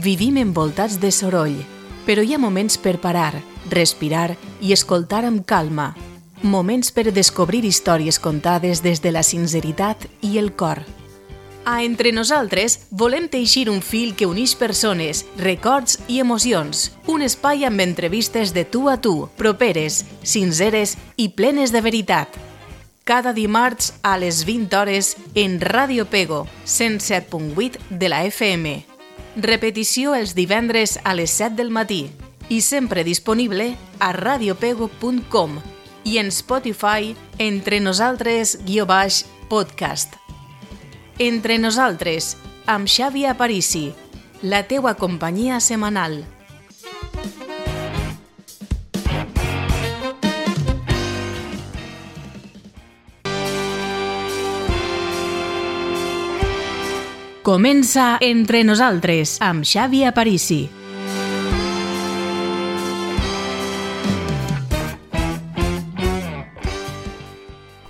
Vivim envoltats de soroll, però hi ha moments per parar, respirar i escoltar amb calma. Moments per descobrir històries contades des de la sinceritat i el cor. A Entre Nosaltres volem teixir un fil que uneix persones, records i emocions. Un espai amb entrevistes de tu a tu, properes, sinceres i plenes de veritat. Cada dimarts a les 20 hores en Ràdio Pego, 107.8 de la FM. Repetició els divendres a les 7 del matí i sempre disponible a radiopego.com i en Spotify Entre Nosaltres-podcast. Entre Nosaltres, amb Xavi Aparici, la teua companyia setmanal. Comença Entre Nosaltres, amb Xavi Aparici.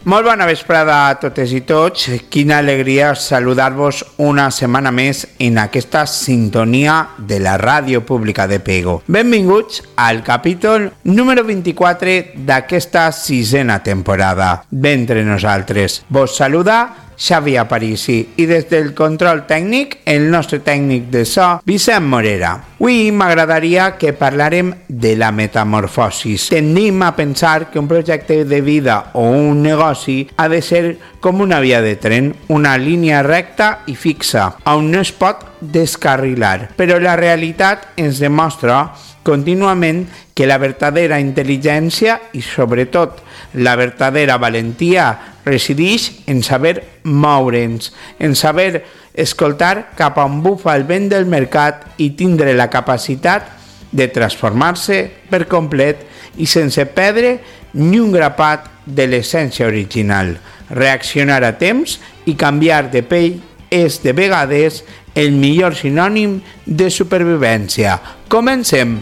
Molt bona vesprada a totes i tots. Quina alegria saludar-vos una setmana més en aquesta sintonia de la Ràdio Pública de Pego. Benvinguts al capítol número 24 d'aquesta sisena temporada d'Entre Nosaltres. Vos saluda Xavi Aparici i des del control tècnic, el nostre tècnic de so, Vicent Morera. Avui m'agradaria que parlàrem de la metamorfosis. Tendim a pensar que un projecte de vida o un negoci ha de ser com una via de tren, una línia recta i fixa, on no es pot descarrilar. Però la realitat ens demostra contínuament que la verdadera intel·ligència i sobretot la verdadera valentia resideix en saber moure'ns, en saber escoltar cap on bufa el vent del mercat i tindre la capacitat de transformar-se per complet i sense perdre ni un grapat de l'essència original. Reaccionar a temps i canviar de pell és de vegades el millor sinònim de supervivència. Comencem!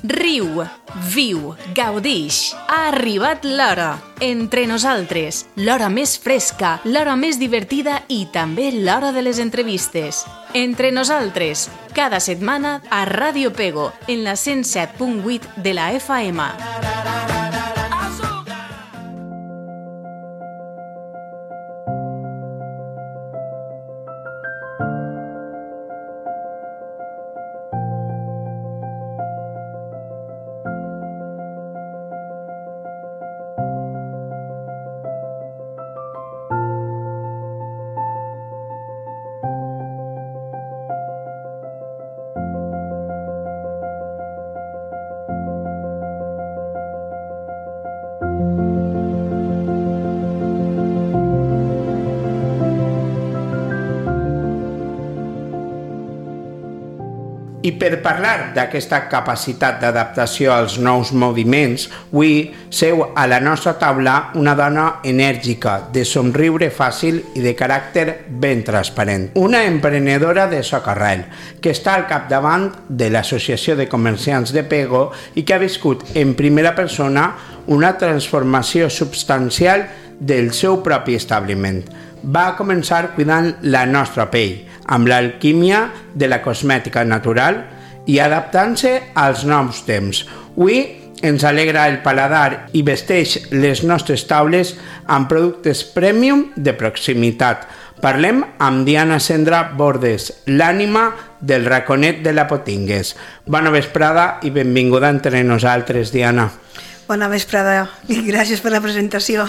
Riu, viu, gaudix. Ha arribat l'hora. Entre Nosaltres, l'hora més fresca, l'hora més divertida i també l'hora de les entrevistes. Entre Nosaltres, cada setmana a Ràdio Pego, en la 107.8 de la FM. I per parlar d'aquesta capacitat d'adaptació als nous moviments, avui seu a la nostra taula una dona enèrgica, de somriure fàcil i de caràcter ben transparent. Una emprenedora de socarrel, que està al capdavant de l'Associació de Comerciants de Pego i que ha viscut en primera persona una transformació substancial del seu propi establiment. Va començar cuidant la nostra pell, amb l'alquímia de la cosmètica natural i adaptant-se als nous temps. Avui ens alegra el paladar i vesteix les nostres taules amb productes premium de proximitat. Parlem amb Diana Cendra Bordes, l'ànima del raconet de la Potingues. Bona vesprada i benvinguda entre nosaltres, Diana. Bona vesprada i gràcies per la presentació.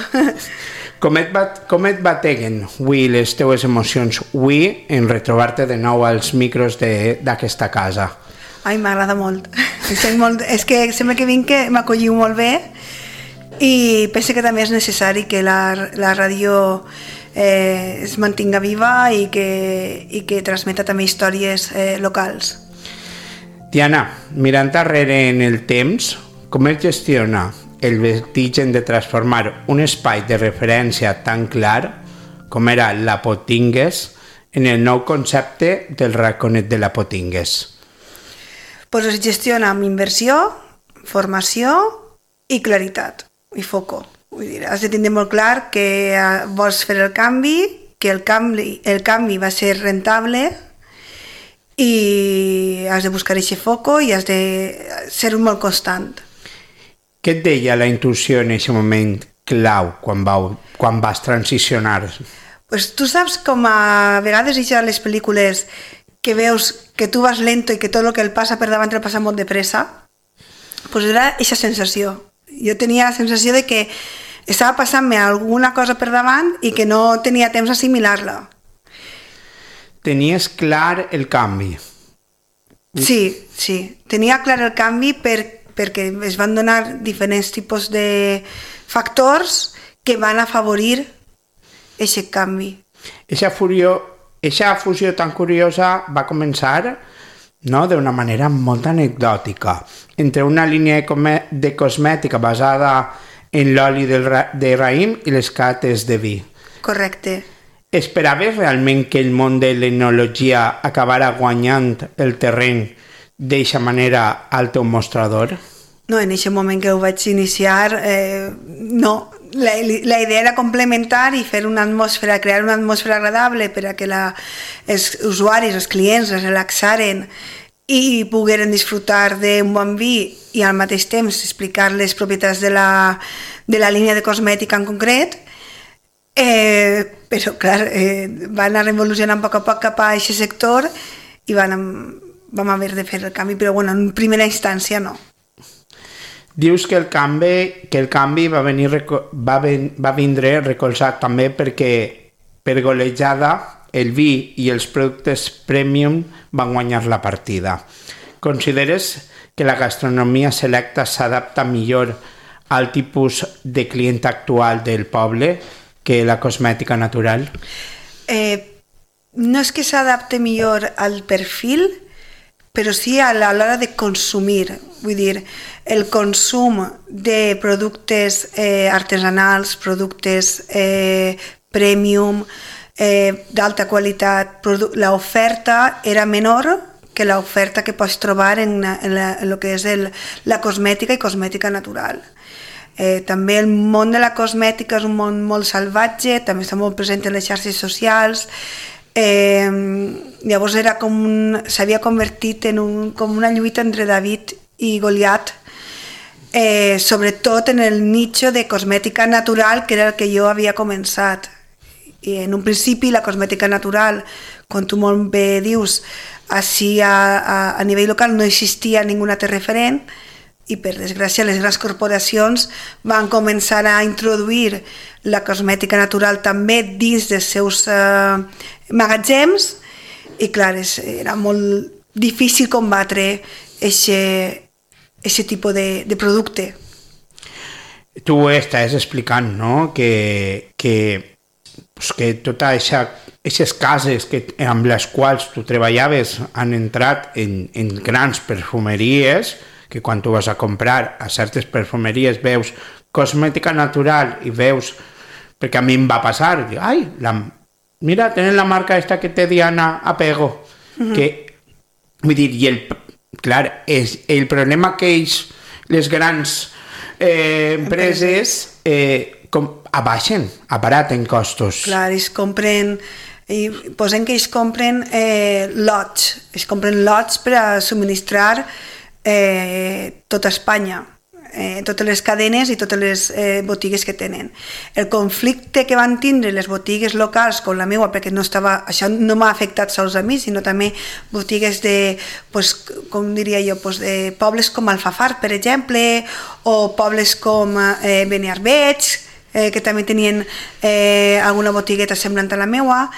Com et bateguen avui les teues emocions avui en retrobar-te de nou als micros d'aquesta casa? Ai, m'agrada molt. És que sempre que vinc m'acolliu molt bé i penso que també és necessari que la ràdio es mantinga viva i que transmeta també històries locals. Diana, mirant darrere en el temps, Com es gestiona el vertigen de transformar un espai de referència tan clar com era la Potingues en el nou concepte del Raconet de la Potingues? Pues es gestiona amb inversió, formació i claritat, i foco. Vull dir, has de tindre molt clar que vols fer el canvi, que el canvi va ser rentable i has de buscar aquest foco i has de ser molt constant. Què et deia la intuïció en aquest moment clau quan vas transicionar? Pues tu saps com a vegades a les pel·lícules que veus que tu vas lento i que tot el que el passa per davant el passa molt de pressa? Pues era aquesta sensació. Jo tenia la sensació de que estava passant-me alguna cosa per davant i que no tenia temps d'assimilar-la. Tenies clar el canvi? Sí. Tenia clar el canvi perquè es van donar diferents tipus de factors que van afavorir aquest canvi. Eixa fusió tan curiosa va començar, no, d'una manera molt anecdòtica, entre una línia de cosmètica basada en l'oli de raïm i les cates de vi. Correcte. Esperaves realment que el món de l'enologia acabara guanyant el terreny d'eixa manera al teu mostrador? No, en aquest moment que ho vaig iniciar, no. La idea era complementar i fer una atmosfera, crear una atmosfera agradable per a que els usuaris, els clients es relaxaren i pogueren disfrutar d'un bon vi i al mateix temps explicar les propietats de la línia de cosmètica en concret. Però, clar, va anar evolucionant a poc cap a aquest sector i vam haver de fer el canvi, però bueno, en primera instància no. Dius que el canvi va vindre recolzat també perquè per golejada el vi i els productes premium van guanyar la partida. Consideres que la gastronomia selecta s'adapta millor al tipus de client actual del poble que la cosmètica natural? No és que s'adapte millor al perfil, però sí a l'hora de consumir. Vull dir, el consum de productes artesanals, productes premium, d'alta qualitat, l'oferta era menor que l'oferta que pots trobar en el que és la cosmètica i cosmètica natural. També el món de la cosmètica és un món molt salvatge, també està molt present en les xarxes socials. Llavors s'havia convertit com una lluita entre David i Goliat, sobretot en el nicho de cosmètica natural, que era el que jo havia començat. I en un principi la cosmètica natural, com tu molt bé dius, així a nivell local no existia ningú altre referent, i per desgràcia les grans corporacions van començar a introduir la cosmètica natural també dins dels seus magatzems, i clar, era molt difícil combatre aquest tipus de producte. Tu estàs explicant, no?, que totes aquestes cases amb les quals tu treballaves han entrat en grans perfumeries, que quan tu vas a comprar a certes perfumeries veus cosmètica natural i veus, perquè a mi em va passar, dic, ai, mira, tenen la marca esta que té Diana Apego, que, vull dir, clar, el problema que les grans empreses abaraten costos. Clar, ells compren, i posem que ells compren lots per a subministrar tota Espanya, totes les cadenes i totes les botigues que tenen. El conflicte que van tindre les botigues locals com la meva, perquè això no m'ha afectat sols a mi, sinó també botigues de, com diria jo, de pobles com Alfafar, per exemple, o pobles com Beniarbeig, que també tenien alguna botigueta semblant a la meva.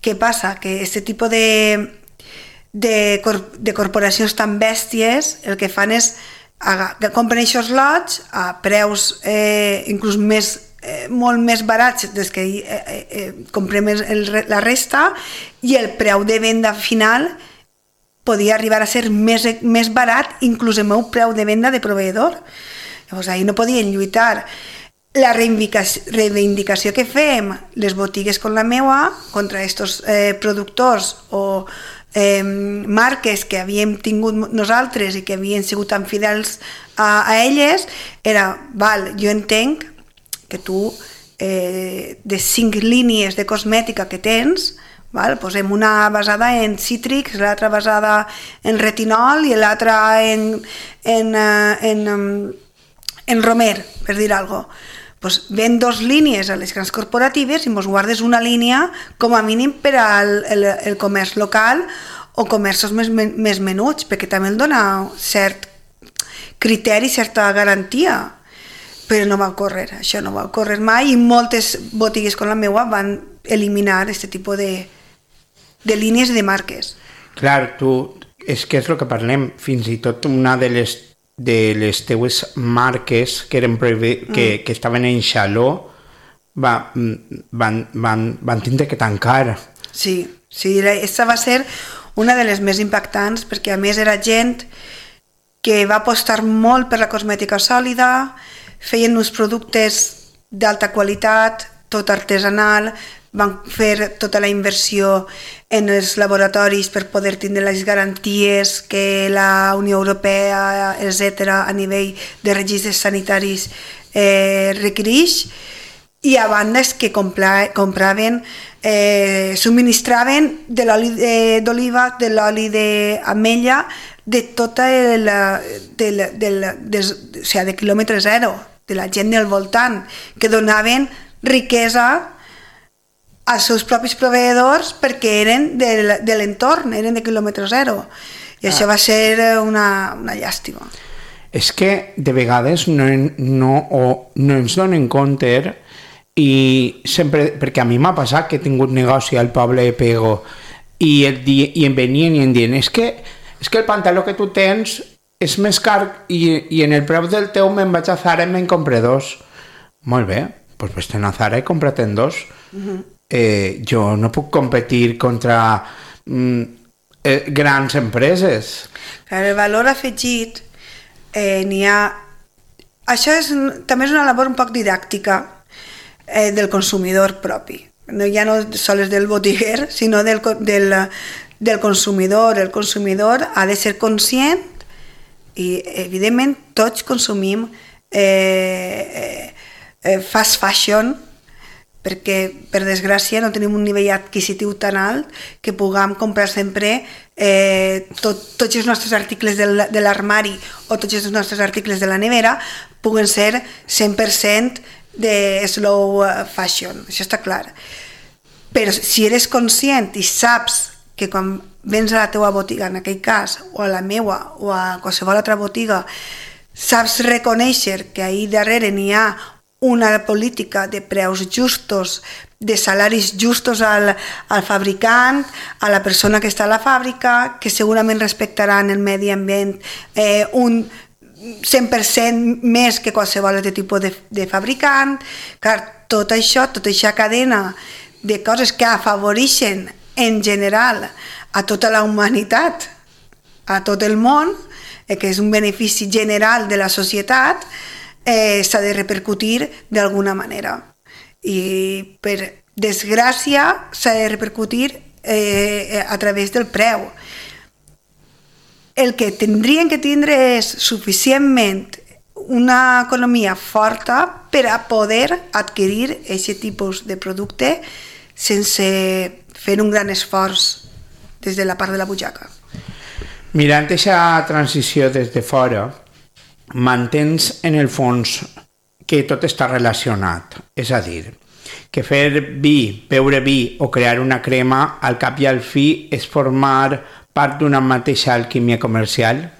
Què passa? Que aquest tipus de corporacions tan bèsties el que fan és compren aquests lots a preus inclús molt més barats des que comprem la resta, i el preu de venda final podia arribar a ser més barat, inclús el meu preu de venda de proveïdor. Llavors, ahir no podien lluitar. La reivindicació que fem les botigues com la meua contra aquests productors o marques que havíem tingut nosaltres i que havien sigut tan fidels a elles era, jo entenc que tu de 5 línies de cosmètica que tens, posem una basada en cítrics, l'altra basada en retinol i l'altra en romer, per dir alguna cosa. Ven 2 línies a les grans corporatives i mos guardes una línia com a mínim per al comerç local o comerços més menuts, perquè també el dona cert criteri, certa garantia. Però no va ocórrer, això no va ocórrer mai i moltes botigues com la meua van eliminar aquest tipus de línies i de marques. Clar, és que és el que parlem, fins i tot una de les teues marques que eren que estaven en xaló van tindre que tancar. Sí, aquesta va ser una de les més impactants perquè a més era gent que va apostar molt per la cosmètica sòlida, feien uns productes d'alta qualitat, tot artesanal, van fer tota la inversió en els laboratoris per poder tindre les garanties que la Unió Europea, etc., a nivell de registres sanitaris requereix, i a banda és que compraven, subministraven de l'oli d'oliva, de l'oli d'ametlla, de tota de quilòmetre zero, de la gent del voltant, que donaven riquesa als seus propis proveïdors perquè eren de l'entorn, eren de quilòmetre zero. I això va ser una llàstima. És que de vegades no ens donen compte i sempre, perquè a mi m'ha passat que he tingut negoci al poble de Pego i em venien i em diuen és que el pantaló que tu tens és més car i en el preu del teu me'n vaig a Zara i me'n compre 2. Molt bé, doncs vés-te'n a Zara i compra't-en 2. Jo no puc competir contra grans empreses. El valor afegit n'hi ha... Això també és una labor un poc didàctica del consumidor propi. Ja no sols del botiguer, sinó del consumidor. El consumidor ha de ser conscient i, evidentment, tots consumim fast fashion perquè, per desgràcia, no tenim un nivell adquisitiu tan alt que puguem comprar sempre tots els nostres articles de l'armari o tots els nostres articles de la nevera puguen ser 100% de slow fashion, això està clar. Però si eres conscient i saps que quan vens a la teua botiga, en aquell cas, o a la meua, o a qualsevol altra botiga, saps reconèixer que ahir darrere n'hi ha una política de preus justos, de salaris justos al fabricant, a la persona que està a la fàbrica, que segurament respectaran el medi ambient un 100% més que qualsevol altre tipus de fabricant. Clar, tot això, tota aquesta cadena de coses que afavoreixen en general a tota la humanitat, a tot el món, que és un benefici general de la societat, s'ha de repercutir d'alguna manera. I per desgràcia s'ha de repercutir a través del preu. El que tindrien que tindre és suficientment una economia forta per a poder adquirir aquest tipus de producte sense fer un gran esforç des de la part de la butxaca. Mirant aquesta transició des de fora, mantens en el fons que tot està relacionat, és a dir, que fer vi, beure vi o crear una crema al cap i al fi és formar part d'una mateixa alquímia comercial?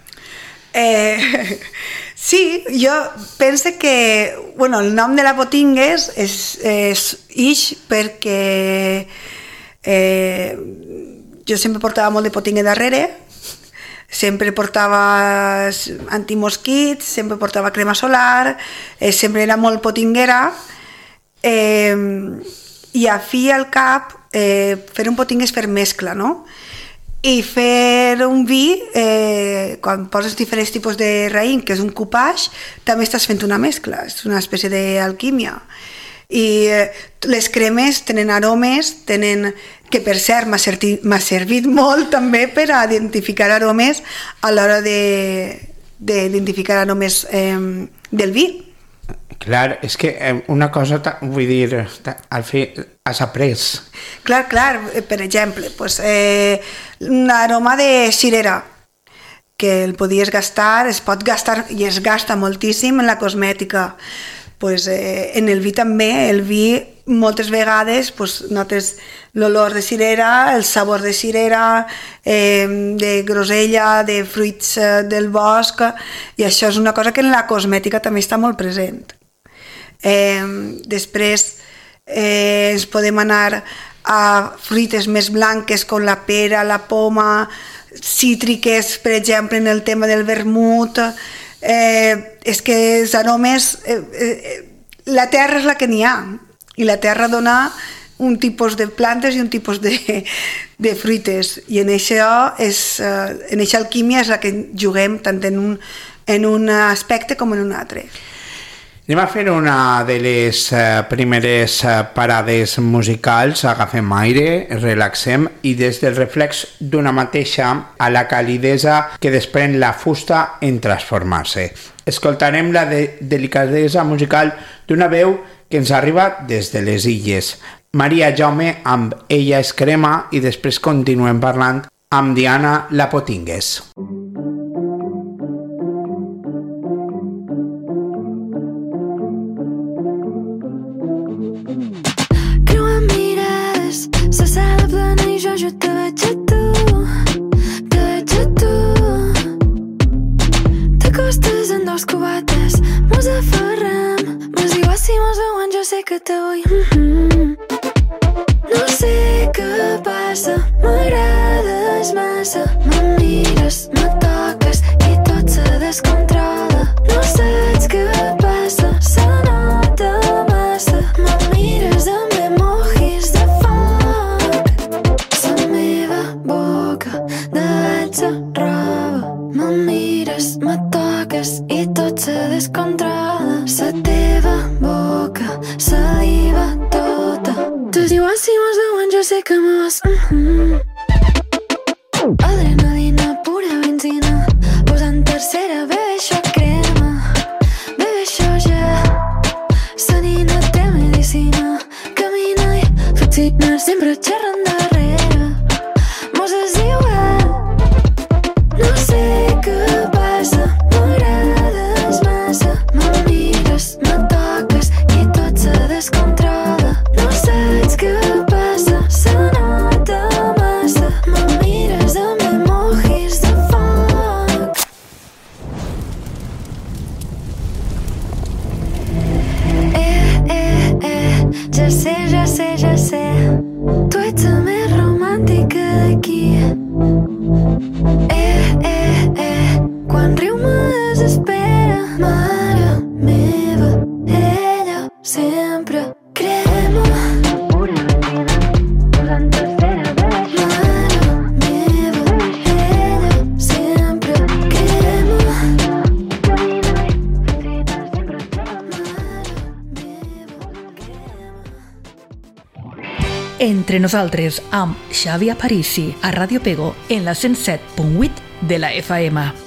Sí, jo penso que el nom de la Botingues és perquè jo sempre portava molt de potingue darrere, sempre portava antimosquits, sempre portava crema solar, sempre era molt potinguera, i a fi al cap fer un potingue és fer mescla, no? I fer un vi, quan poses diferents tipus de raïm, que és un coupage, també estàs fent una mescla, és una espècie d'alquímia. I les cremes tenen aromes, que per cert m'ha servit molt també per a identificar aromes a l'hora d'identificar aromes del vi. Clar, és que una cosa, vull dir, al fi has après. Clar, per exemple, un aroma de cirera, que el podies gastar, es pot gastar i es gasta moltíssim en la cosmètica. En el vi també, el vi moltes vegades notes l'olor de cirera, el sabor de cirera, de grosella, de fruits del bosc, i això és una cosa que en la cosmètica també està molt present. Després ens podem anar a fruites més blanques com la pera, la poma, cítriques, per exemple, en el tema del vermut. És que els aromes, la terra és la que n'hi ha, i la terra dona un tipus de plantes i un tipus de fruites, i en aquesta alquímia és la que juguem tant en un aspecte com en un altre. Anem a fer una de les primeres parades musicals, agafem aire, relaxem i des del reflex d'una mateixa a la calidesa que desprèn la fusta en transformar-se. Escoltarem la delicadesa musical d'una veu que ens arriba des de les Illes. Maria Jaume amb Ella és crema i després continuem parlant amb Diana Lapotingues. Se sala plena i jo te veig a tu, t'acostes en dos cubates, mos aferrem, mos diu si mos veuen jo sé que te vull. No sé què passa, m'agrades massa, me mires, me toques i tot se descontrola. No saps què passa, se nota massa, me mires amb emojis de roba, me mires, me toques i tot se descontrola. La teva boca, saliva tota. Tu dius si mos veuen jo sé que me vas. Adrenalina, pura benzina, posant tercera, bebe això crema, bebe això ja. La nina té medicina, camina i fascinar, sempre xerrant darrere. Mos és igual. No sé què passa, m'agrades massa, me mires, me toques i tot se descontrola. No saps què passa, se nota massa, me mires amb emojis de foc. Ja sé, tu ets la més romàntica d'aquí. Quan riu me desespera, mare meva, ella sempre crema. Posant tercera vez, mare meva, ella sempre crema. Entre nosaltres amb Xavi Aparici a Ràdio Pego en la 107.8 de la FM.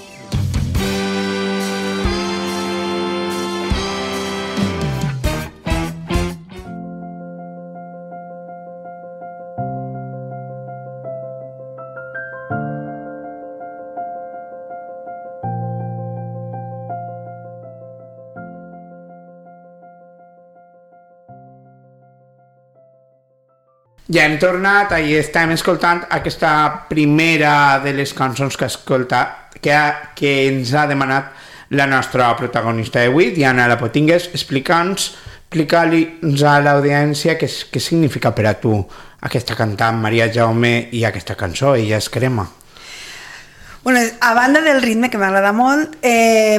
Ja hem tornat i estem escoltant aquesta primera de les cançons que ens ha demanat la nostra protagonista d'avui, Diana Lapotingues. Explica-li a l'audiència què significa per a tu aquesta cantant Maria Jaume i aquesta cançó, Ella és crema. Bueno, a banda del ritme, que m'agrada molt,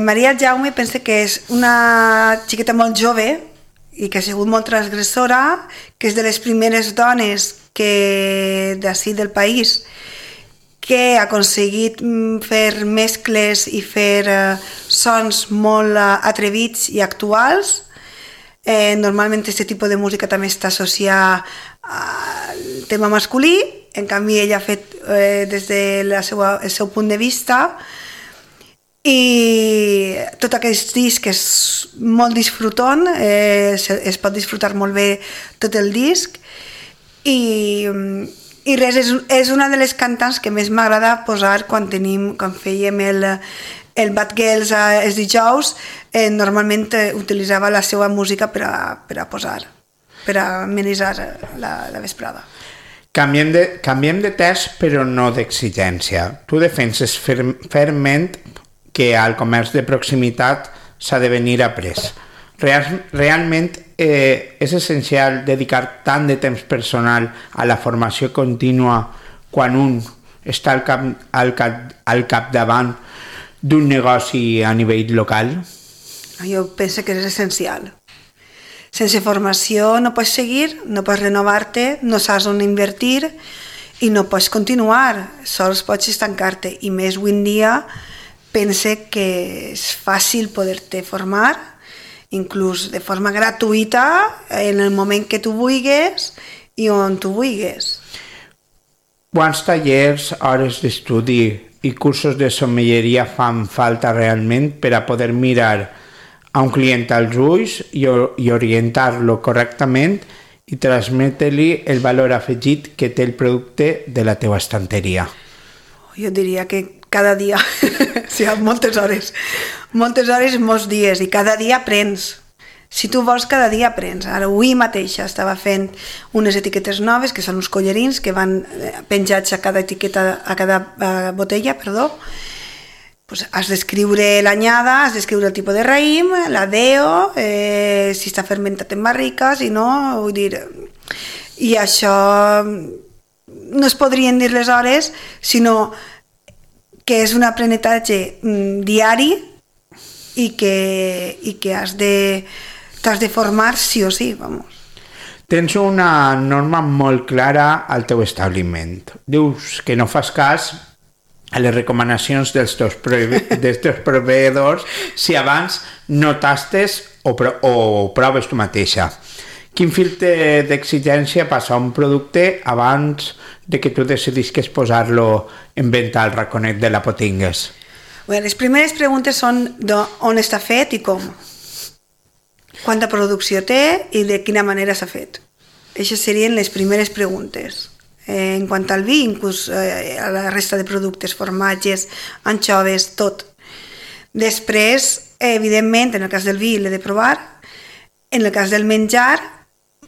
Maria Jaume pensa que és una xiqueta molt jove i que ha sigut molt transgressora, que és de les primeres dones d'ací del país que ha aconseguit fer mescles i fer sons molt atrevits i actuals. Normalment aquest tipus de música també està associada al tema masculí, en canvi ella ha fet des del seu punt de vista, i tot aquest disc és molt disfrutant, es pot disfrutar molt bé tot el disc, i res, és una de les cantants que més m'agrada posar quan fèiem el Bad Girls els dijous. Normalment utilitzava la seva música per a posar, per a amenitzar la vesprada. Canviem de test, però no d'exigència. Tu defenses fermament que al comerç de proximitat s'ha de venir après. Realment és essencial dedicar tant de temps personal a la formació contínua quan un està al capdavant d'un negoci a nivell local? Jo penso que és essencial. Sense formació no pots seguir, no pots renovar-te, no saps on invertir i no pots continuar, sols pots estancar-te. I més avui en dia pense que és fàcil poder-te formar, inclús de forma gratuïta, en el moment que tu vulguis i on tu vulguis. Quants tallers, hores d'estudi i cursos de sommelleria fan falta realment per a poder mirar a un client als ulls i orientar-lo correctament i transmetre-li el valor afegit que té el producte de la teva estanteria? Jo diria que cada dia, sí, moltes hores, molts dies, i cada dia aprens. Si tu vols, cada dia aprens. Ara, avui mateixa estava fent unes etiquetes noves, que són uns collarins que van penjats a cada etiqueta, a cada botella, perdó. Pues has d'escriure l'anyada, has d'escriure el tipus de raïm, la DEO, si està fermentat en barrica, si no, vull dir... I això no es podrien dir les hores, sinó que és un aprenentatge diari i que t'has de formar sí o sí, vamos. Tens una norma molt clara al teu establiment. Dius que no fas cas a les recomanacions dels teus proveïdors si abans no tastes o proves tu mateixa. Quin filtre d'exigència passa a un producte abans de que tu decidisques posar-lo en venda al raconet de la Potingues? Bé, les primeres preguntes són on està fet i com. Quanta producció té i de quina manera s'ha fet. Aquestes serien les primeres preguntes. En quant al vi, inclús a la resta de productes, formatges, anxoves, tot. Després, evidentment, en el cas del vi l'he de provar. En el cas del menjar,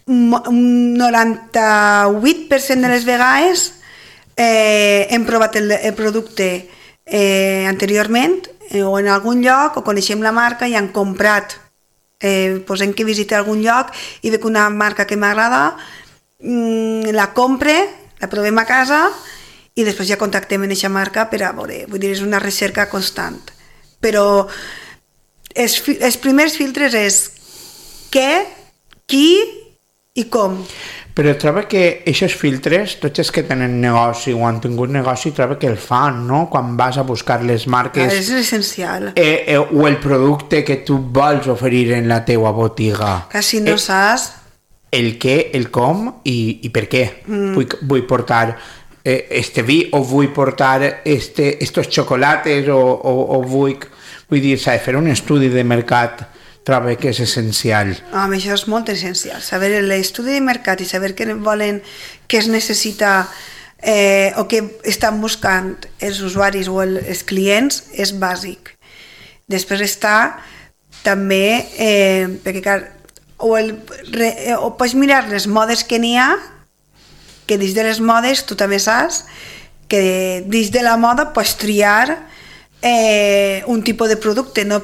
un 98% de les vegades hem provat el producte anteriorment o en algun lloc, o coneixem la marca i han comprat. Posem que visite algun lloc i veig una marca que m'agrada, la compre, la provem a casa i després ja contactem amb aquesta marca per a veure. Vull dir, és una recerca constant. Però els primers filtres és què, qui i com. Però trobo que aquests filtres, tots els que tenen negoci o han tingut negoci, trobo que el fan, no? Quan vas a buscar les marques... És essencial. O el producte que tu vols oferir en la teua botiga. Que si no saps... El què, el com i per què. Vull portar este vi o vull portar estos chocolates o vull dir, s'ha de fer un estudi de mercat. Trobo que és essencial. Això és molt essencial. Saber l'estudi de mercat i saber què volen, què es necessita o què estan buscant els usuaris o els clients és bàsic. Després està també, perquè clar, o pots mirar les modes que n'hi ha, que dins de les modes tu també saps que dins de la moda pots triar un tipus de producte, no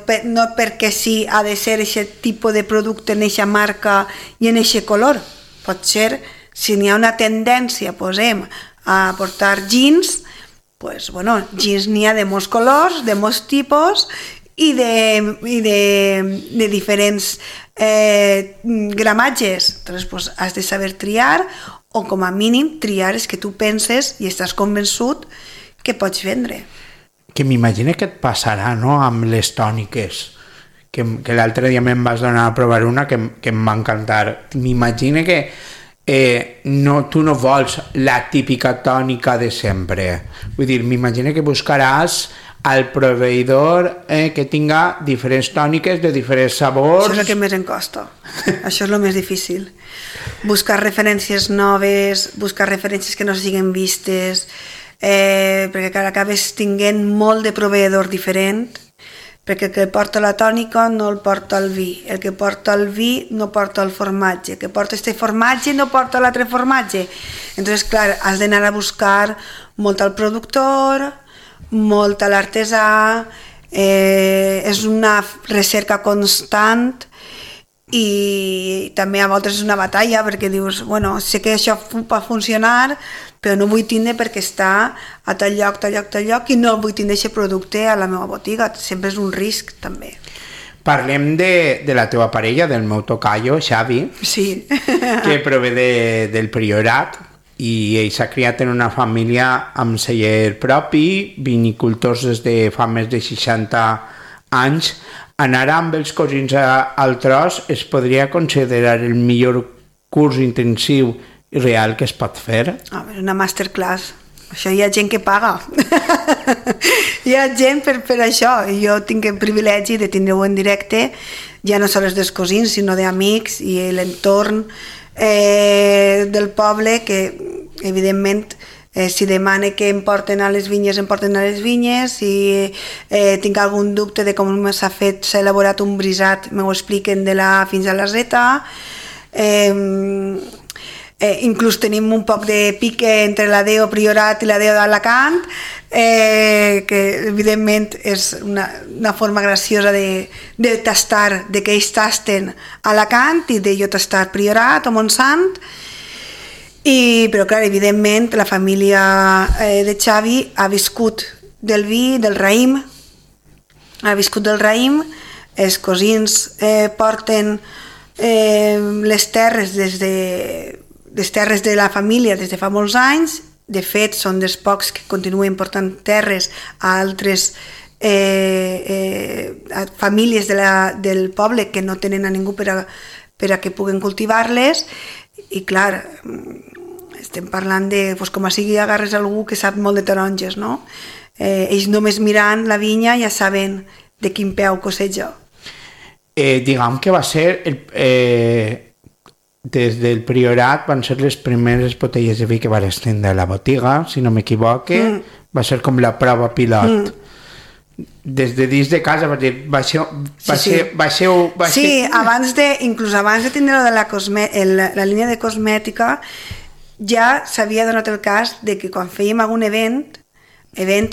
perquè sí ha de ser aquest tipus de producte en aquesta marca i en aquest color. Pot ser, si n'hi ha una tendència, posem, a portar jeans, pues, bueno, jeans n'hi ha de molts colors, de molts tipus i de diferents gramatges. Entonces, pues, has de saber triar, o com a mínim triar és que tu penses i estàs convençut que que pots vendre. Que m'imagino que et passarà, no?, amb les tòniques, que l'altre dia me'n vas donar a provar una que em va encantar. M'imagino que tu no vols la típica tònica de sempre. Vull dir, m'imagino que buscaràs al proveïdor que tinga diferents tòniques de diferents sabors. Això és el que més em costa. Això és el més difícil. Buscar referències noves, buscar referències que no siguin vistes, perquè clar, acabes tinguent molt de proveïdor diferent, perquè el que porta la tònica no el porta el vi, el que porta el vi no porta el formatge, el que porta este formatge no porta l'altre formatge. Entonces, clar, has d'anar a buscar molt al productor, molt a l'artesà, és una recerca constant i també a voltes és una batalla perquè dius, bueno, sé que això va funcionar, però no vull tindre perquè està a tal lloc i no vull tindre aquest producte a la meva botiga. Sempre és un risc, també. Parlem de la teva parella, del meu tocayo, Xavi, sí. que prové del Priorat, i ell s'ha criat en una família amb celler propi, vinicultors des de fa més de 60 anys. Anar amb els cosins al tros es podria considerar el millor curs intensiu i real que es pot fer? Una masterclass. Això hi ha gent que paga. Hi ha gent per això. Jo tinc el privilegi de tindre-ho en directe, ja no sols dels cosins, sinó d'amics i l'entorn del poble, que evidentment si demane que em porten a les vinyes, em porten a les vinyes. Si tinc algun dubte de com s'ha elaborat un brisat, m'ho expliquen de la fins a la zeta. Inclús tenim un poc de pique entre la DEO Priorat i la DEO d'Alacant, que evidentment és una forma graciosa de tastar, de que ells tasten Alacant i de jo tastar Priorat o Montsant. Però clar, evidentment la família de Xavi ha viscut del vi, del raïm, els cosins porten les terres les terres de la família des de fa molts anys. De fet, són dels pocs que continuen portant terres a altres famílies del poble que no tenen a ningú per a que puguen cultivar-les. I clar, estem parlant de, com a sigui agarres algú que sap molt de taronges, no? Ells només mirant la vinya ja saben de quin peu coseja. Diguem que va ser des del Priorat van ser les primeres botelles de vi que van estendre a la botiga, si no m'equivoque. Va ser com la prova pilot. Des de dins de casa, inclús abans de tindre la línia de cosmètica, ja s'havia donat el cas de que quan fèiem algun event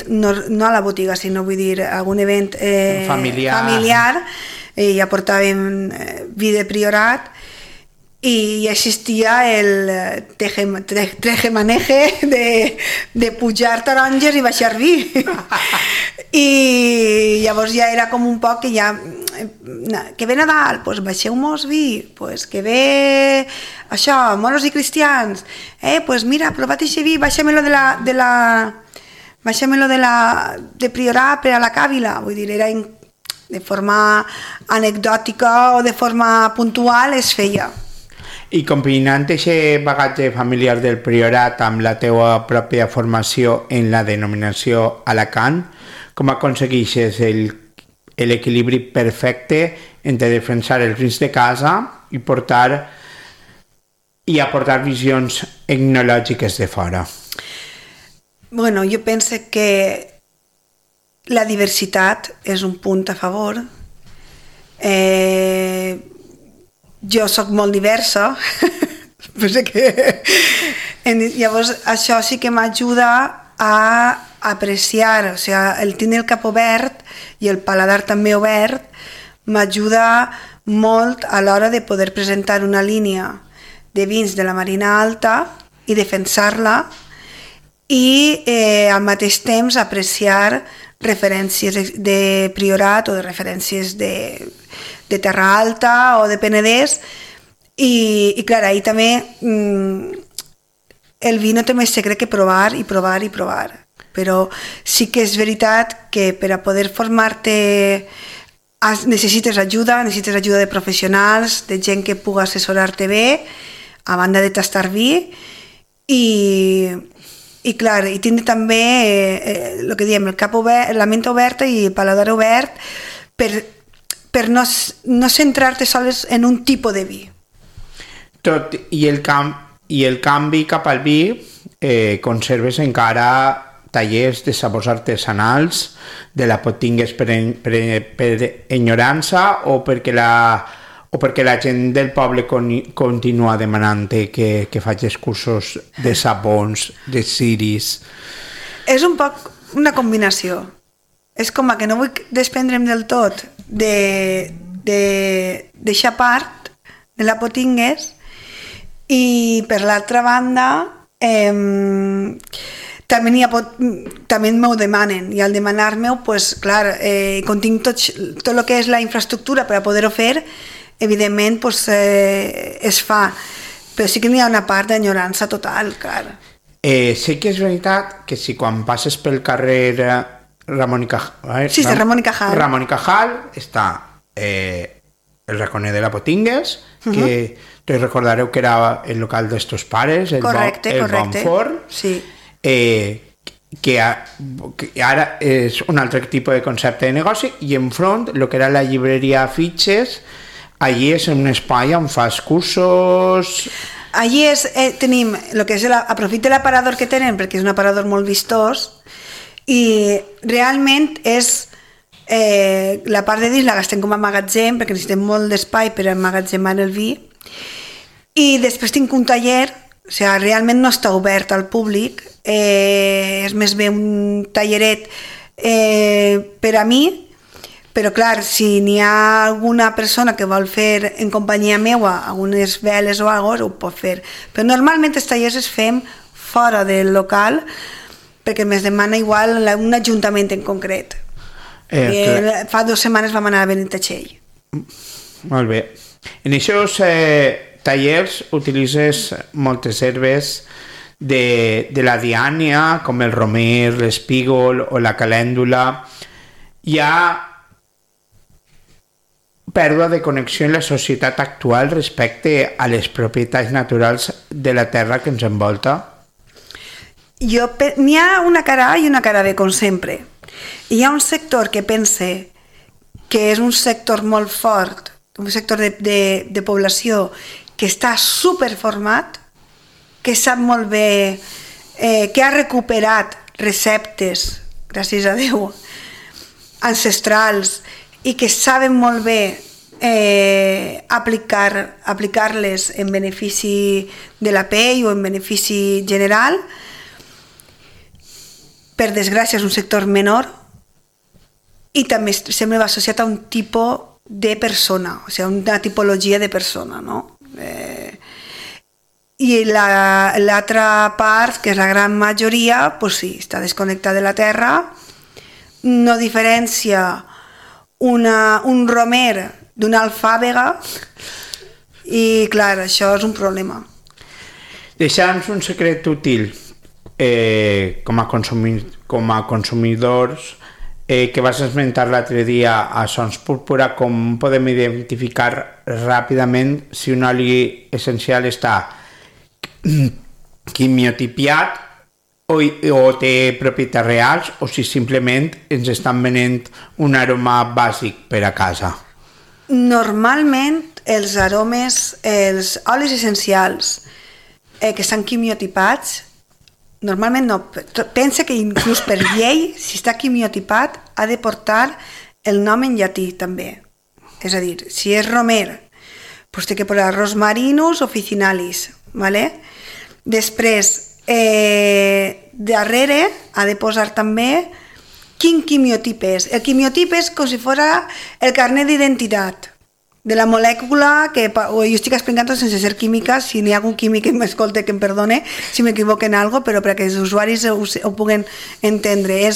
no a la botiga, sinó vull dir algun event familiar, ja portàvem vi de Priorat i existia el tejemaneje de pujar taronges i baixar vi. I llavors ja era com un poc que ja que ve Nadal, doncs baixeu-mos vi, doncs que ve això, moros i cristians, doncs mira, provat aquest vi, baixa-me-lo de Priorat per a la càvila. Vull dir, era de forma anecdòtica o de forma puntual es feia. I combinant aquest bagatge familiar del Priorat amb la teua pròpia formació en la denominació Alacant, com aconsegueixes l'equilibri perfecte entre defensar els vins de casa i aportar visions etnològiques de fora? Bueno, jo penso que la diversitat és un punt a favor. Jo soc molt diversa, llavors això sí que m'ajuda a apreciar, o sigui, el tenir el cap obert i el paladar també obert m'ajuda molt a l'hora de poder presentar una línia de vins de la Marina Alta i defensar-la i al mateix temps apreciar referències de Priorat o de referències de Terra Alta o de Penedès i clar, ahir també el vi no té més secret que provar i provar i provar, però sí que és veritat que per a poder formar-te necessites ajuda de professionals, de gent que pugui assessorar-te bé, a banda de tastar vi, i clar, i tindre també el que diem, el cap obert, la ment oberta i el paladar obert per no centrar-te sols en un tipus de vi. Tot i el canvi cap al vi, conserves encara tallers de sabors artesanals, de la tingues per enyorança o perquè la gent del poble continua demanant que facis cursos de sabons, de ciris? És un poc una combinació. És com que no vull desprendre'm del tot de deixar part de la Potingues, i per l'altra banda també m'ho demanen, i al demanar-m'ho, pues, clar, com tinc tot el que és la infraestructura per a poder-ho fer, evidentment pues, es fa, però sí que n'hi ha una part d'enyorança total, clar. Sí que és veritat que si quan passes pel carrer Ramon i Cajal, Ramon i Cajal està el raconer de la Potingues, que tots recordareu que era el local d'estos pares, el Bon Forn, sí. Que ara és un altre tipus de concepte de negoci, i enfront el que era la llibreria Fitxes, allí és un espai on fas cursos. Allí tenim el que és aprofita l'aparador que tenen, perquè és un aparador molt vistós, i realment és la part de dins la gastem com a magatzem, perquè necessitem molt d'espai per emmagatzemar el vi, i després tinc un taller, o sigui, realment no està obert al públic, és més bé un talleret per a mi, però clar, si n'hi ha alguna persona que vol fer en companyia meua algunes veles o alguna cosa, ho pot fer. Però normalment els tallers es fem fora del local, perquè més demana igual un ajuntament en concret. Fa 2 setmanes vam anar a Benitatxell. Molt bé. En aquests tallers utilitzes moltes herbes de la diània, com el romer, l'espígol o la calèndula. Hi ha pèrdua de connexió en la societat actual respecte a les propietats naturals de la terra que ens envolta? N'hi ha una cara A i una cara B, com sempre. Hi ha un sector que pense que és un sector molt fort, un sector de població que està superformat, que sap molt bé, que ha recuperat receptes, gràcies a Déu, ancestrals, i que saben molt bé aplicar-les en benefici de la pell o en benefici general. Per desgràcia és un sector menor, i també sempre va associat a un tipus de persona, o sigui, una tipologia de persona, no? I l'altra part, que és la gran majoria, pues sí, està desconnectada de la terra, no diferencia un romer d'una alfàbega, i clar, això és un problema. Deixa'ns un secret útil com a consumidors que vas esmentar l'altre dia a Sons Púrpura, com podem identificar ràpidament si un oli essencial està quimiotipiat o té propietats reals, o si simplement ens estan venent un aroma bàsic per a casa? Normalment els aromes, els olis essencials que estan quimiotipats, normalment no. Pensa que inclús per llei, si està quimiotipat, ha de portar el nom en llatí també. És a dir, si és romer, doncs té que posar rosmarinus officinalis, ¿vale? Després, darrere ha de posar també quin quimiotip és. El quimiotip és com si fos el carnet d'identitat de la molècula, que jo estic explicant sense ser química, si n'hi ha algun químic que m'escolta que em perdone si m'equivoco en alguna cosa, però perquè els usuaris ho puguen entendre.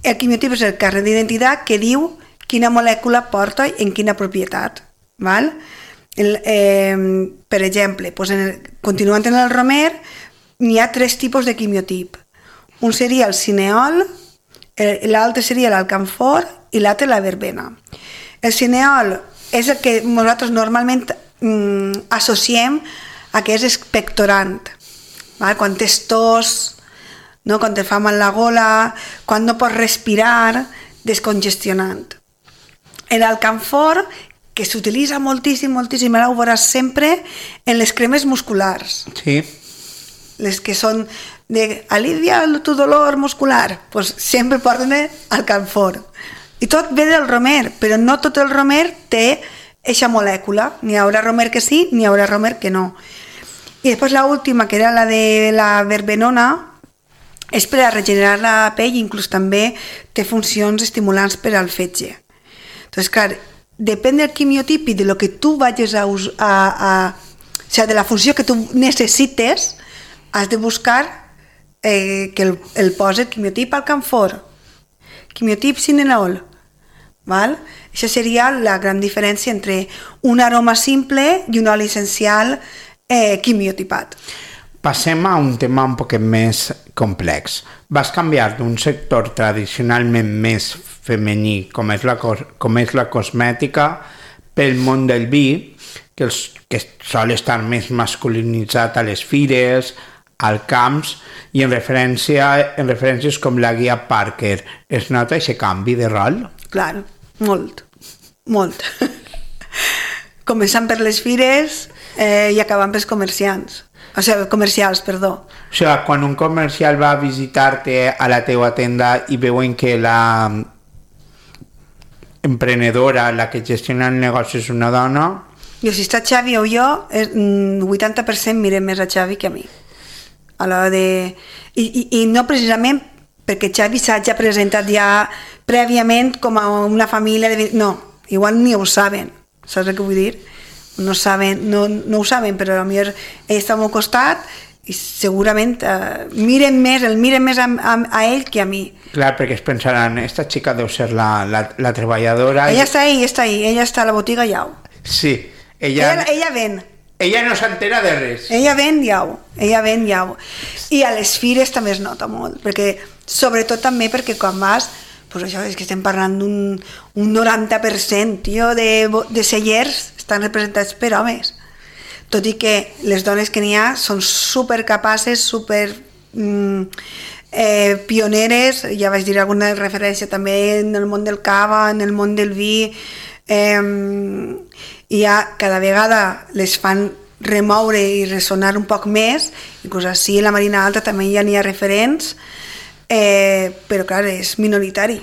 El quimiotip és el carnet d'identitat que diu quina molècula porta en quina propietat. Val? Per exemple, continuant en el romer, n'hi ha 3 tipus de quimiotip. Un seria el cineol, l'altre seria l'alcanfor i l'altre la verbena. El cineol és el que nosaltres normalment associem a que és expectorant, val? Quan tens tos, no? Quan te fa mal la gola, quan no pots respirar, descongestionant. L'alcanfor, que s'utilitza moltíssim, ara ho veuràs sempre en les cremes musculars. Sí. Les que són de alivia tu dolor muscular, pues sempre porten alcanfor. I tot ve del romer, però no tot el romer té eixa molècula. N'hi haurà romer que sí, n'hi haurà romer que no. I després l'última, que era la de la verbenona, és per a regenerar la pell, inclús també té funcions estimulants per al fetge. Entonces, clar, depèn del quimiotip i de lo que tu vagis o sea, de la funció que tu necessites, has de buscar que el posi el quimiotip alcanfor, quimiotip cineol, val? Això seria la gran diferència entre un aroma simple i un oli essencial quimiotipat. Passem a un tema un poc més complex. Vas canviar d'un sector tradicionalment més femení, com és la cosmètica, pel món del vi, que sol estar més masculinitzat a les fires, al camps, i en referències com la guia Parker. Es nota aquest canvi de rol? Clar, molt. Començant per les fires i acabant pels comercials. O sigui, quan un comercial va a visitar-te a la teua tenda i veuen que la emprenedora, la que gestiona el negoci, és una dona... Jo, si està Xavi o jo, 80% mirem més a Xavi que a mi. A l'hora de... I no precisament perquè Xavi s'hagi presentat ja prèviament com a una família de... No, igual ni ho saben, saps el que vull dir? No ho saben, però potser ell està al meu costat i segurament miren més a ell que a mi. Clar, perquè es pensaran, esta xica deu ser la treballadora... Ella està ahí, ella està a la botiga i au. Sí, ella ven. Ella no s'entera de res. Ella ven i au. I a les fires també es nota molt, perquè sobretot també perquè quan vas, pues això és que estem parlant d'un 90%, tio, de cellers estan representats per homes. Tot i que les dones que n'hi ha són supercapaces, super pioneres, ja vaig dir alguna referència també en el món del cava, en el món del vi, i ja cada vegada les fan remoure i ressonar un poc més, inclús així a la Marina Alta també ja n'hi ha referents, però clar, és minoritari.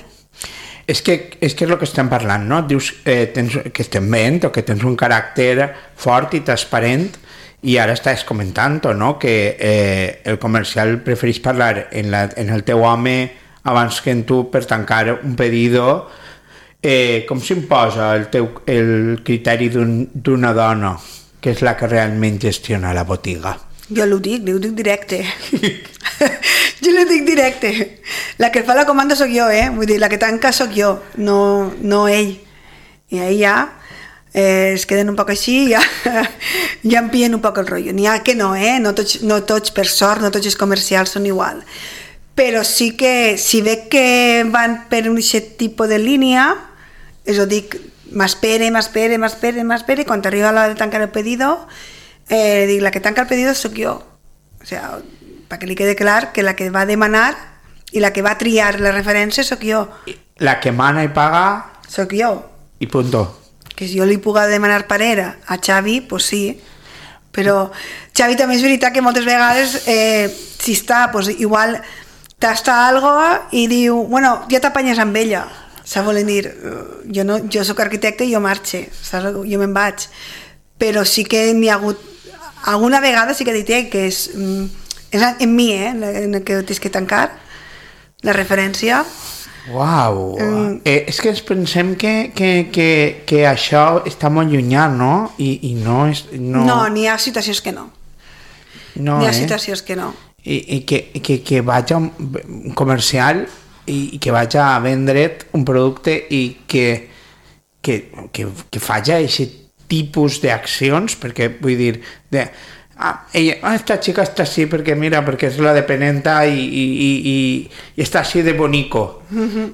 És que és el que estem parlant, no? Dius que estem veient o que tens un caràcter fort i transparent i ara estàs comentant, no? Que el comercial prefereix parlar en el teu home abans que en tu per tancar un pedido. Com s'imposa el criteri d'una dona que és la que realment gestiona la botiga? Jo li ho dic directe. La que fa la comanda sóc jo, vull dir, la que tanca sóc jo, no ell. I ahí ja es queden un poc així, ja em pillen un poc el rotllo. N'hi ha que no, no tots, per sort, no tots els comercials són igual. Però sí que, si veig que van per un aquest tipus de línia, és a dir, m'espere, i quan arriba l'hora de tancar el pedido, dic, la que tanca el pedido sóc jo. O sigui, perquè li quede clar que la que va demanar i la que va triar la referència sóc jo. La que mana i paga... Sóc jo. I punto. Que si jo li puc demanar parera a Xavi, pues sí. Però Xavi també és veritat que moltes vegades, si està, pues igual tasta algo i diu, bueno, ja t'apanyes amb ella. Saps voler dir, jo soc arquitecte i jo marxe, saps? Jo me'n vaig. Però sí que n'hi ha hagut... Alguna vegada sí que he dit que és en mi, en el que tens que tancar la referència. Uau! És que ens pensem que això està molt llunyà, no? I no és... No, n'hi ha situacions que no. N'hi ha situacions que no. I que vaig a un comercial i que vaig a vendre't un producte i que faci aquest tipus d'accions, perquè vull dir, esta chica está així perquè mira, perquè és la dependenta i està així de bonico.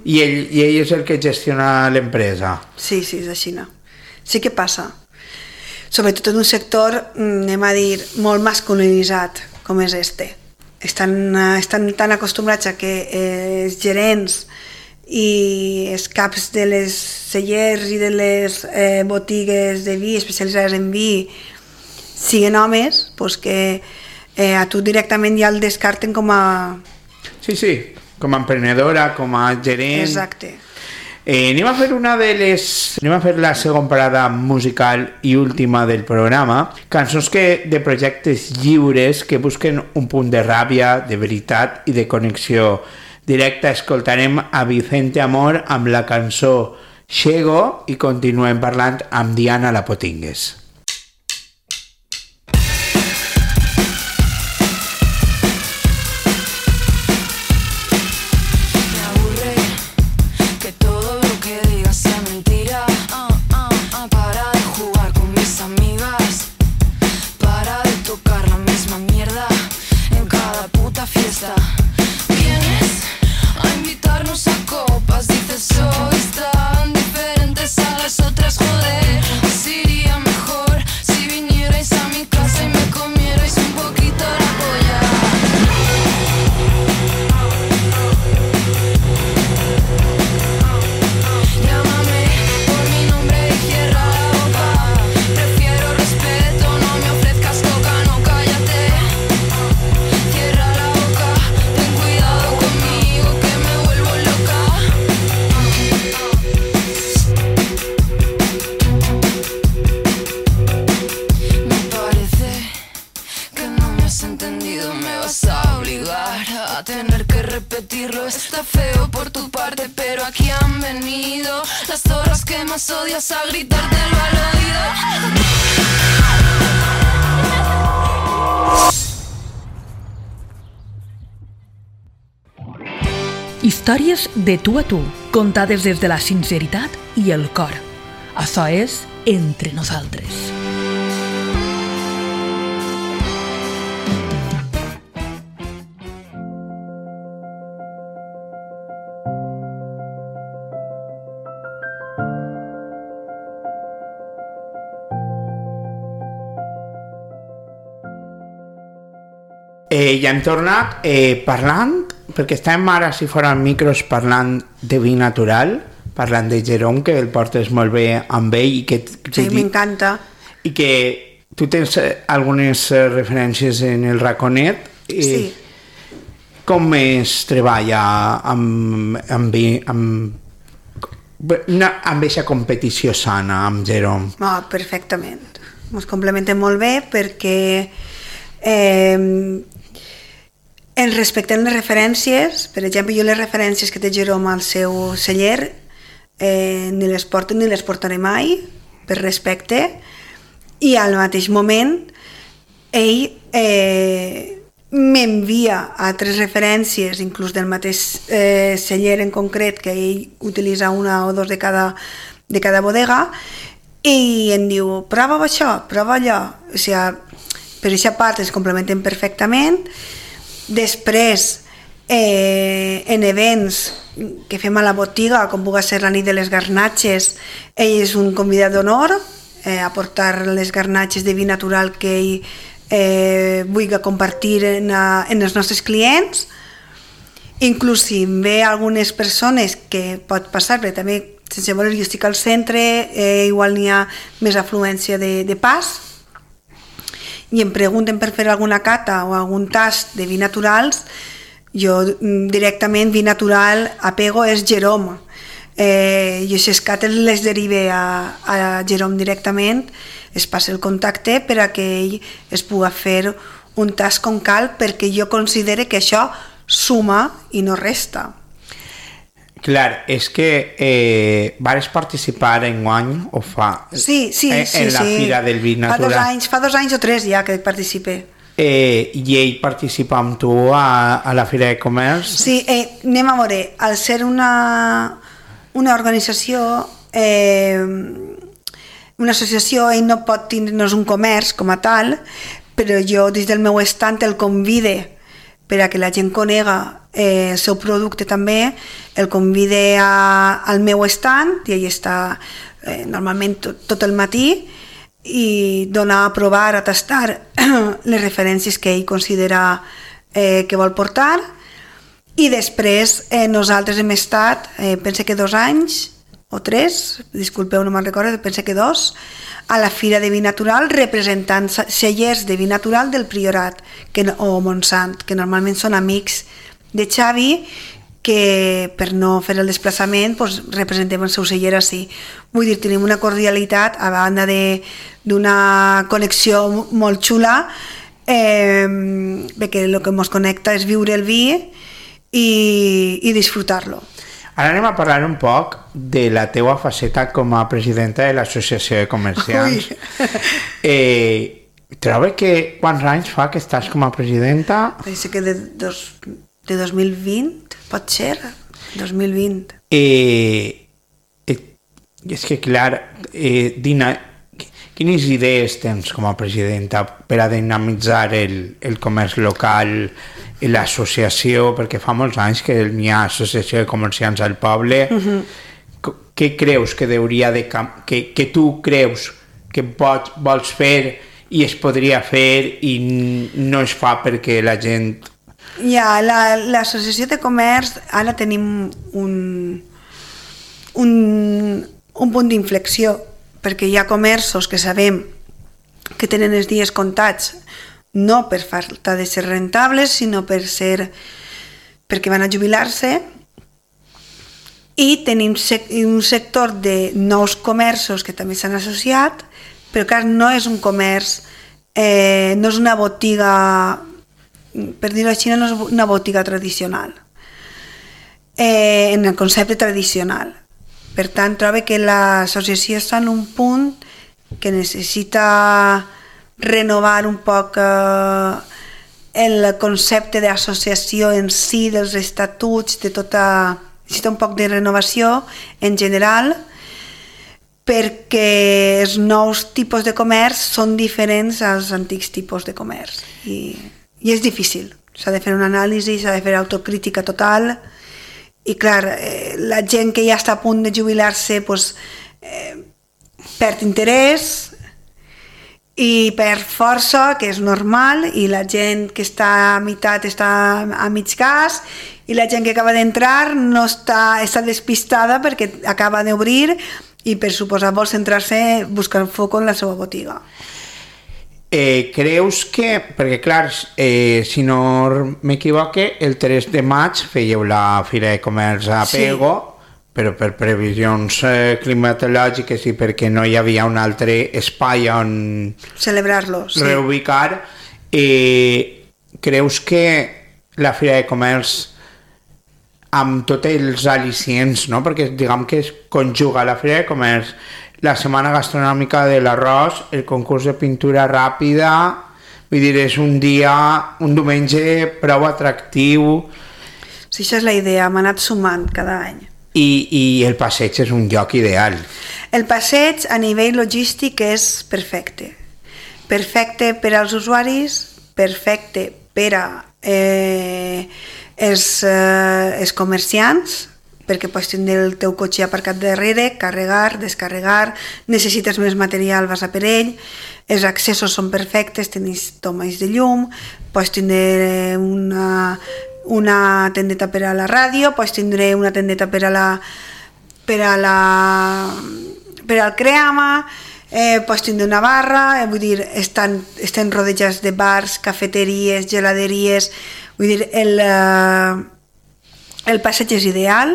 I ell és el que gestiona l'empresa. Sí, és així, no? Sí que passa. Sobretot en un sector, anem a dir, molt masculinitzat, com és este. Estan tan acostumbrats a que els gerents i els caps de les cellers i de les botigues de vi especialitzades en vi siguin homes, doncs que a tu directament ja el descarten com a... Sí, com a emprenedora, com a gerent. Exacte. Anem a fer la segona parada musical i última del programa, cançons de projectes lliures que busquen un punt de ràbia, de veritat i de connexió directa. Escoltarem a Vicente Amor amb la cançó Xego i continuem parlant amb Diana Lapotingues. Sois tan diferentes a las otras, joder. Así iría mejor si vinierais a mi casa y me comierais un poquito la polla. Llámame por mi nombre y cierra la boca. Prefiero respeto, no me ofrezcas coca, no, cállate. Cierra la boca, ten cuidado conmigo que me vuelvo loca. Me parece que no me has entendido, me vas a obligar a tener que repetirlo. Está feo por tu parte, pero aquí han venido las zorras que más odias a gritártelo al oído. Històries de tu a tu, contades des de la sinceritat i el cor. Això és Entre Nosaltres. Ja hem tornat parlant, perquè estàvem ara, si foren micros, parlant de vi natural, parlant de Jerome, que el portes molt bé amb ell. Sí, m'encanta. I que tu tens algunes referències en el raconet. Sí. Com es treballa amb aquesta competició sana amb Jerome? Perfectament. Ens complementem molt bé perquè ens respectem les referències. Per exemple, jo les referències que té Jerome al seu celler ni les porto ni les portaré mai, per respecte, i al mateix moment ell m'envia altres referències, inclús del mateix celler en concret, que ell utilitza una o dos de cada bodega, i em diu, prova això, prova allò. O sigui, per aquesta part es complementen perfectament. Després, en events que fem a la botiga, com pugui ser la nit de les garnatxes, ell és un convidat d'honor a portar les garnatxes de vi natural que ell vulgui compartir en els nostres clients. Inclús si ve algunes persones, que pot passar, perquè també, sense voler, jo estic al centre, igual n'hi ha més afluència de pas, i em pregunten per fer alguna cata o algun tast de vi naturals, jo directament vi natural apego és Jerome. Jo si es cates les derive a Jerome directament, es passa el contacte per a que ell es pugui fer un tast com cal, perquè jo considere que això suma i no resta. Clar, és que vas participar enguany o fa sí, en la Fira del Vi Natural. Fa 2 anys o 3 ja que participe. I ell participa amb tu a la Fira de Comerç? Sí, anem a veure, al ser una organització, una associació, ell no pot tindre'ns un comerç com a tal, però jo des del meu estant el convide per a que la gent conega el seu producte també, el convide al meu estand i ell està normalment tot el matí i dona a provar, a tastar les referències que ell considera que vol portar i després nosaltres hem estat, penso que 2 anys o 3, disculpeu, no me'n recordo, penso que 2, a la Fira de Vi Natural representant cellers de vi natural del Priorat o Montsant, que normalment són amics de Xavi, que per no fer el desplaçament doncs, representem el seu celler així. Vull dir, tenim una cordialitat a banda d'una connexió molt xula, perquè el que ens connecta és viure el vi i disfrutar-lo. Ara anem a parlar un poc de la teua faceta com a presidenta de l'Associació de Comerciants. Trobo que quants anys fa que estàs com a presidenta? Penso que de 2020, pot ser, 2020. És que, clar, Dina, quines idees tens com a presidenta per a dinamitzar el comerç local i l'associació, perquè fa molts anys que n'hi ha associació de comerciants al poble. Què creus que hauria de que tu creus que vols fer i es podria fer i no es fa perquè la gent... Ja, l'associació de comerç ara tenim un punt d'inflexió, perquè hi ha comerços que sabem que tenen els dies comptats no per falta de ser rentables, sinó perquè van a jubilar-se, i tenim un sector de nous comerços que també s'han associat, però clar, no és un comerç, no és una botiga, per dir-ho així, no és una botiga tradicional, en el concepte tradicional. Per tant, trobo que l'associació està en un punt que necessita renovar un poc el concepte d'associació en si, dels estatuts, necessita un poc de renovació en general, perquè els nous tipus de comerç són diferents als antics tipus de comerç i és difícil, s'ha de fer una anàlisi, s'ha de fer autocrítica total i clar, la gent que ja està a punt de jubilar-se perd interès i perd força, que és normal, i la gent que està a meitat està a mig gas, i la gent que acaba d'entrar no està despistada perquè acaba d'obrir i per suposar vol centrar-se buscant foc en la seva botiga. Creus que, perquè clar, si no m'equivoque, el 3 de maig fèieu la Fira de Comerç a Pego, però per previsions climatològiques i perquè no hi havia un altre espai on celebrar-lo, reubicar, creus que la Fira de Comerç amb tots els al·licients, no? Perquè diguem que es conjuga la Fira de Comerç, la setmana gastronòmica de l'arròs, el concurs de pintura ràpida, vull dir, és un diumenge prou atractiu. Sí, això és la idea, m'ha anat sumant cada any. I el passeig és un lloc ideal. El passeig a nivell logístic és perfecte. Perfecte per als usuaris, perfecte per a els comerciants, perquè pots tindre el teu cotxe aparcat darrere, carregar, descarregar, necessites més material, vas a per ell, els accessos són perfectes, tens tomes de llum, pots tindre una tendeta per a la ràdio, pots tindre una tendeta per al creama, pots tindre una barra, vull dir, estan rodejats de bars, cafeteries, geladeries, vull dir, el passeig és ideal,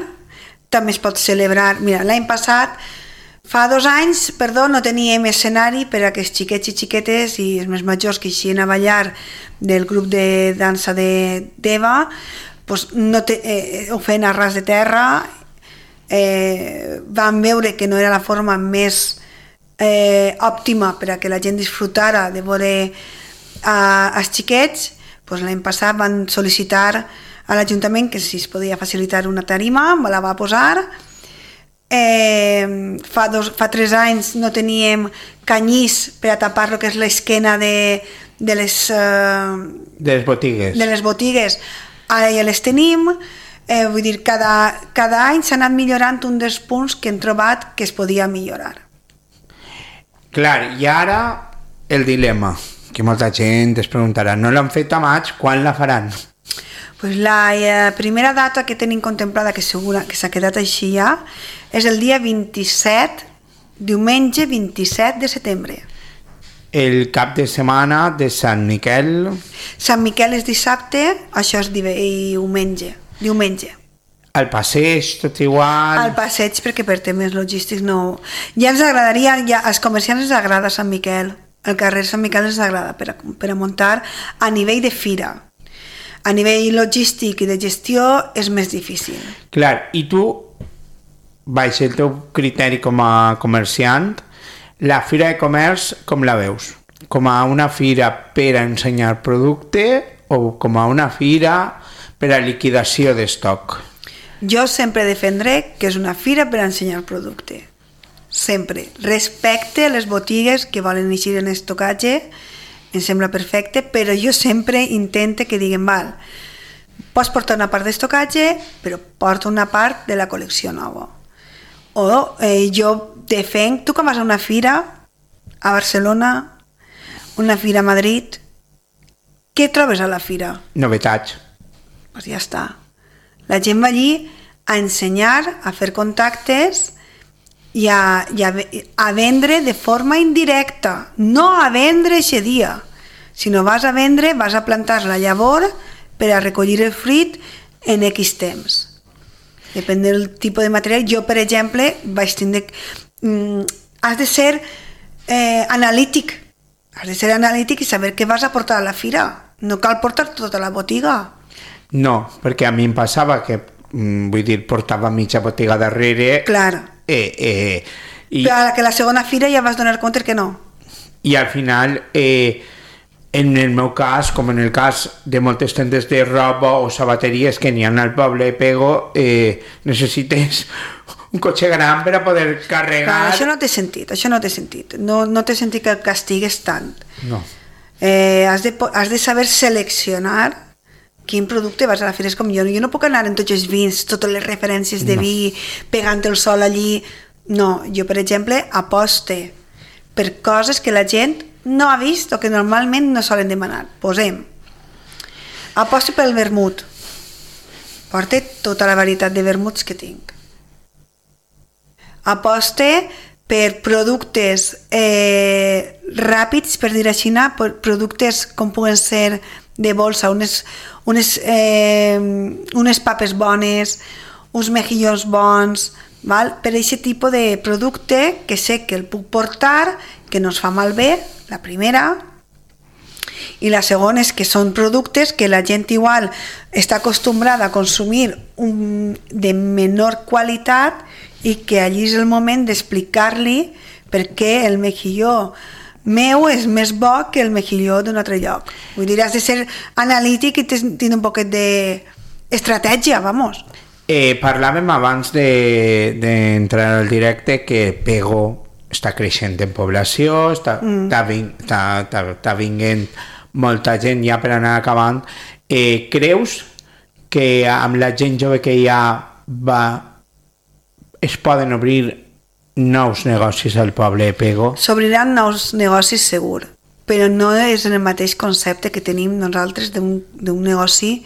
també es pot celebrar, mira, l'any passat, fa 2 anys, no teníem escenari per a que els xiquets i xiquetes i els més majors que eixien a ballar del grup de dansa d'Eva ho feien a ras de terra, van veure que no era la forma més òptima per a que la gent disfrutara de veure els xiquets. L'any passat van sol·licitar a l'Ajuntament que si es podia facilitar una tarima, me la va posar. Fa 3 anys no teníem canyís per a tapar el que és l'esquena de de les botigues. De les botigues. Ara ja les tenim, vull dir, cada any s'ha anat millorant un dels punts que hem trobat que es podia millorar. Clar, i ara el dilema, que molta gent es preguntarà, no l'han fet a maig, quan la faran? Pues la primera data que tenim contemplada, que segura que s'ha quedat així ja, és el dia 27, diumenge 27 de setembre. El cap de setmana de Sant Miquel... Sant Miquel és dissabte, això és diumenge. Al passeig, tot igual... Al passeig, perquè per temes logístics no... Ja ens agradaria, als comerciants ens agrada Sant Miquel, el carrer Sant Miquel ens agrada per a muntar a nivell de fira. A nivell logístic i de gestió és més difícil. Clar, i tu, baix el teu criteri com a comerciant, la fira de comerç com la veus? Com a una fira per a ensenyar producte o com a una fira per a liquidació d'estoc? Jo sempre defendré que és una fira per a ensenyar producte. Sempre. Respecte a les botigues que volen eixir en estocatge, em sembla perfecte, però jo sempre intento que diguin, val, pots portar una part d'estocatge, però porta una part de la col·lecció nova. O jo defenc, tu que vas a una fira a Barcelona, una fira a Madrid, què trobes a la fira? Novetats. Pues ja està. La gent va allí a ensenyar, a fer contactes i a vendre de forma indirecta, no a vendre aquest dia. Si no vas a vendre, vas a plantar la llavor per a recollir el fruit en X temps. Depèn del tipus de material. Jo, per exemple, vaig tindre... has de ser analític. Has de ser analític i saber què vas a portar a la fira. No cal portar tota la botiga. No, perquè a mi em passava que, vull dir, portava mitja botiga darrere... Clar. Però a la segona fira ja vas donar compte que no. I al final, en el meu cas, com en el cas de moltes tendes de roba o sabateries que n'hi ha al poble de Pego, necessites un cotxe gran per a poder carregar... Clar, això no té sentit, No té sentit que el castigues tant. No. Has de saber seleccionar quin producte vas a la fira. És com jo no puc anar en tots els vins, totes les referències de vi, pegant el sol allí. No, jo, per exemple, aposte per coses que la gent no ha vist o que normalment no solen demanar. Posem, aposte pel vermut. Porta tota la varietat de vermuts que tinc. Aposte per productes ràpids, per dir així, productes com puguen ser de bolsa, unes papes bones, uns mejillons bons, val? Per aquest tipus de producte que sé que el puc portar, que no es fa malbé, la primera, i la segona és que són productes que la gent igual està acostumbrada a consumir de menor qualitat i que allí és el moment d'explicar-li per què el mejilló meu és més bo que el mejilló d'un altre lloc. Vull dir, has de ser analític i tenir un poquet d'estratègia, vamos. Parlàvem abans d'entrar al directe que Pego està creixent en població, està vinguent molta gent ja per anar acabant. Creus que amb la gent jove que hi ha es poden obrir nous negocis al poble de Pego? S'obriran nous negocis segur, però no és en el mateix concepte que tenim nosaltres d'un negoci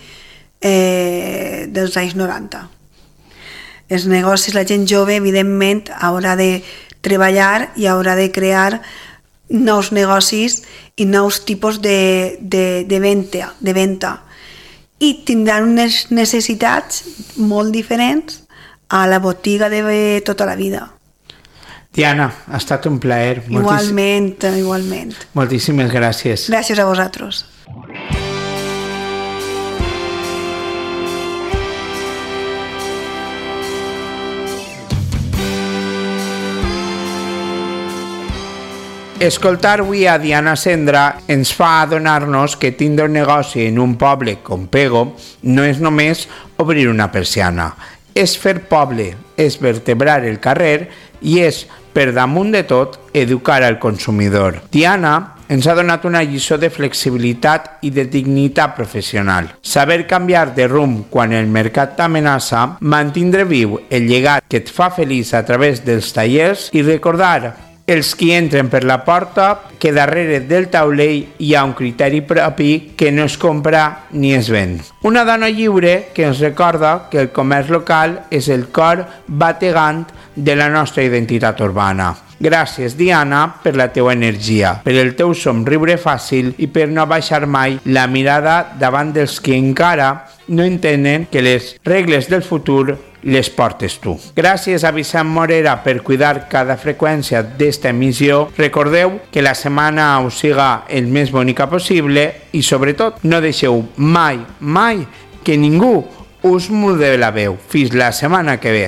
dels anys 90. Els negocis, la gent jove, evidentment, haurà de treballar i haurà de crear nous negocis i nous tipus de venda. I tindran unes necessitats molt diferents a la botiga de tota la vida. Diana, ha estat un plaer. Igualment. Moltíssimes gràcies. Gràcies a vosaltres. Escoltar avui a Diana Sendra ens fa adonar-nos que tindre un negoci en un poble com Pego no és només obrir una persiana, és fer poble, és vertebrar el carrer i és, per damunt de tot, educar al consumidor. Diana ens ha donat una lliçó de flexibilitat i de dignitat professional. Saber canviar de rumb quan el mercat t'amenaça, mantindre viu el llegat que et fa feliç a través dels tallers i recordar els qui entren per la porta que darrere del taulell hi ha un criteri propi que no es compra ni es ven. Una dona lliure que ens recorda que el comerç local és el cor bategant de la nostra identitat urbana. Gràcies, Diana, per la teua energia, per el teu somriure fàcil i per no baixar mai la mirada davant dels que encara no entenen que les regles del futur les portes tu. Gràcies a Vicent Morera per cuidar cada freqüència d'esta emissió. Recordeu que la setmana us siga el més bonica possible i, sobretot, no deixeu mai que ningú us mude la veu. Fins la setmana que ve.